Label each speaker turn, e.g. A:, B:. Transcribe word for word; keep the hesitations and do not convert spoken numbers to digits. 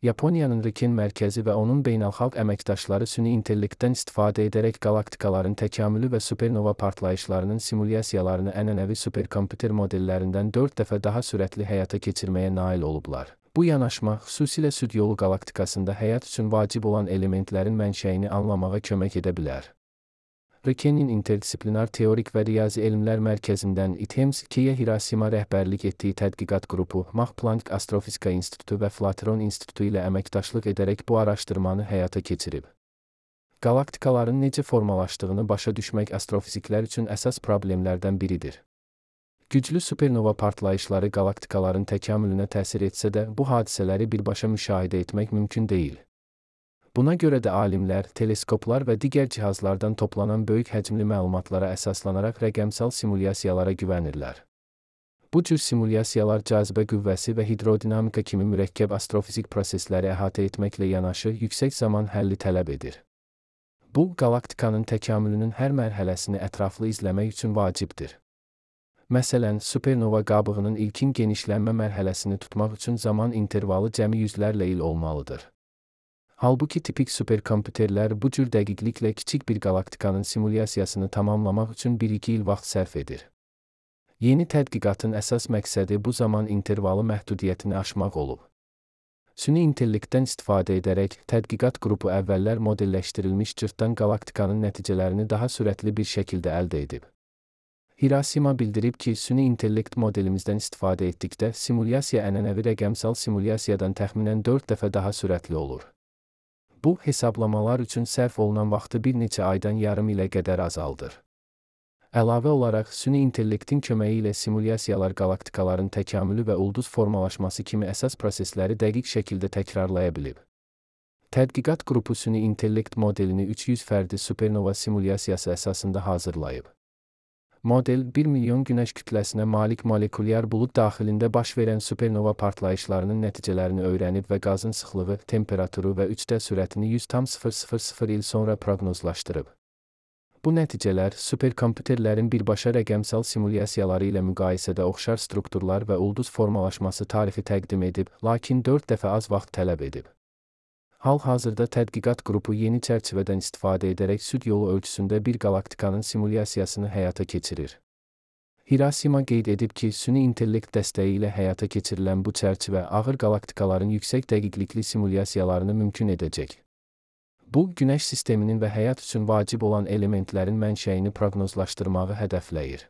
A: Yaponiyanın Riken mərkəzi və onun beynəlxalq əməkdaşları süni intellektdən istifadə edərək qalaktikaların təkamülü və supernova partlayışlarının simulyasiyalarını ənənəvi superkomputer modellərindən dörd dəfə daha sürətli həyata keçirməyə nail olublar. Bu yanaşma, xüsusilə süd yolu qalaktikasında həyat üçün vacib olan elementlərin mənşəyini anlamağa kömək edə bilər. Rikenin interdisiplinar teorik və riyazi elmlər mərkəzindən I T E M S-yə Hirosima rəhbərlik etdiyi tədqiqat qrupu, Max Planck Astrofizika İnstitutu və Flatron İnstitutu ilə əməkdaşlıq edərək bu araşdırmanı həyata keçirib. Qalaktikaların necə formalaşdığını başa düşmək astrofiziklər üçün əsas problemlərdən biridir. Güclü supernova partlayışları qalaktikaların təkamülünə təsir etsə də, bu hadisələri birbaşa müşahidə etmək mümkün deyil. Buna görə də alimlər, teleskoplar və digər cihazlardan toplanan böyük həcmli məlumatlara əsaslanaraq rəqəmsal simulyasiyalara güvənirlər. Bu cür simulyasiyalar cazibə qüvvəsi və hidrodinamika kimi mürəkkəb astrofizik prosesləri əhatə etməklə yanaşı yüksək zaman həlli tələb edir. Bu, qalaktikanın təkamülünün hər mərhələsini ətraflı izləmək üçün vacibdir. Məsələn, supernova qabığının ilkin genişlənmə mərhələsini tutmaq üçün zaman intervalı cəmi yüzlərlə il olmalıdır. Halbuki tipik superkomputerlər bu cür dəqiqliklə kiçik bir qalaktikanın simulyasiyasını tamamlamaq üçün bir iki il vaxt sərf edir. Yeni tədqiqatın əsas məqsədi bu zaman intervalı məhdudiyyətini aşmaq olub. Süni intellektdən istifadə edərək, tədqiqat qrupu əvvəllər modelləşdirilmiş cırtdan qalaktikanın nəticələrini daha sürətli bir şəkildə əldə edib. Hirosima bildirib ki, süni intellekt modelimizdən istifadə etdikdə simulyasiya ənənəvi rəqəmsal simulyasiyadan təxminən dörd dəfə daha sürətli olur. Bu, hesablamalar üçün sərf olunan vaxtı bir neçə aydan yarım ilə qədər azaldır. Əlavə olaraq, süni intellektin köməyi ilə simulyasiyalar qalaktikaların təkamülü və ulduz formalaşması kimi əsas prosesləri dəqiq şəkildə təkrarlaya bilib. Tədqiqat qrupu süni intellekt modelini üç yüz fərdi supernova simulyasiyası əsasında hazırlayıb. Model, bir milyon günəş kütləsinə malik molekulyar bulud daxilində baş verən supernova partlayışlarının nəticələrini öyrənib və qazın sıxlığı, temperaturu və üç D sürətini yüz tam sıfır sıfır sıfır il sonra proqnozlaşdırıb. Bu nəticələr, superkomputerlərin birbaşa rəqəmsal simulyasiyaları ilə müqayisədə oxşar strukturlar və ulduz formalaşması tarifi təqdim edib, lakin dörd dəfə az vaxt tələb edib. Hal-hazırda tədqiqat qrupu yeni çərçivədən istifadə edərək süd yolu ölçüsündə bir qalaktikanın simulyasiyasını həyata keçirir. Hirosima qeyd edib ki, süni intellekt dəstəyi ilə həyata keçirilən bu çərçivə ağır qalaktikaların yüksək dəqiqlikli simulyasiyalarını mümkün edəcək. Bu, Günəş sisteminin və həyat üçün vacib olan elementlərin mənşəyini proqnozlaşdırmağı hədəfləyir.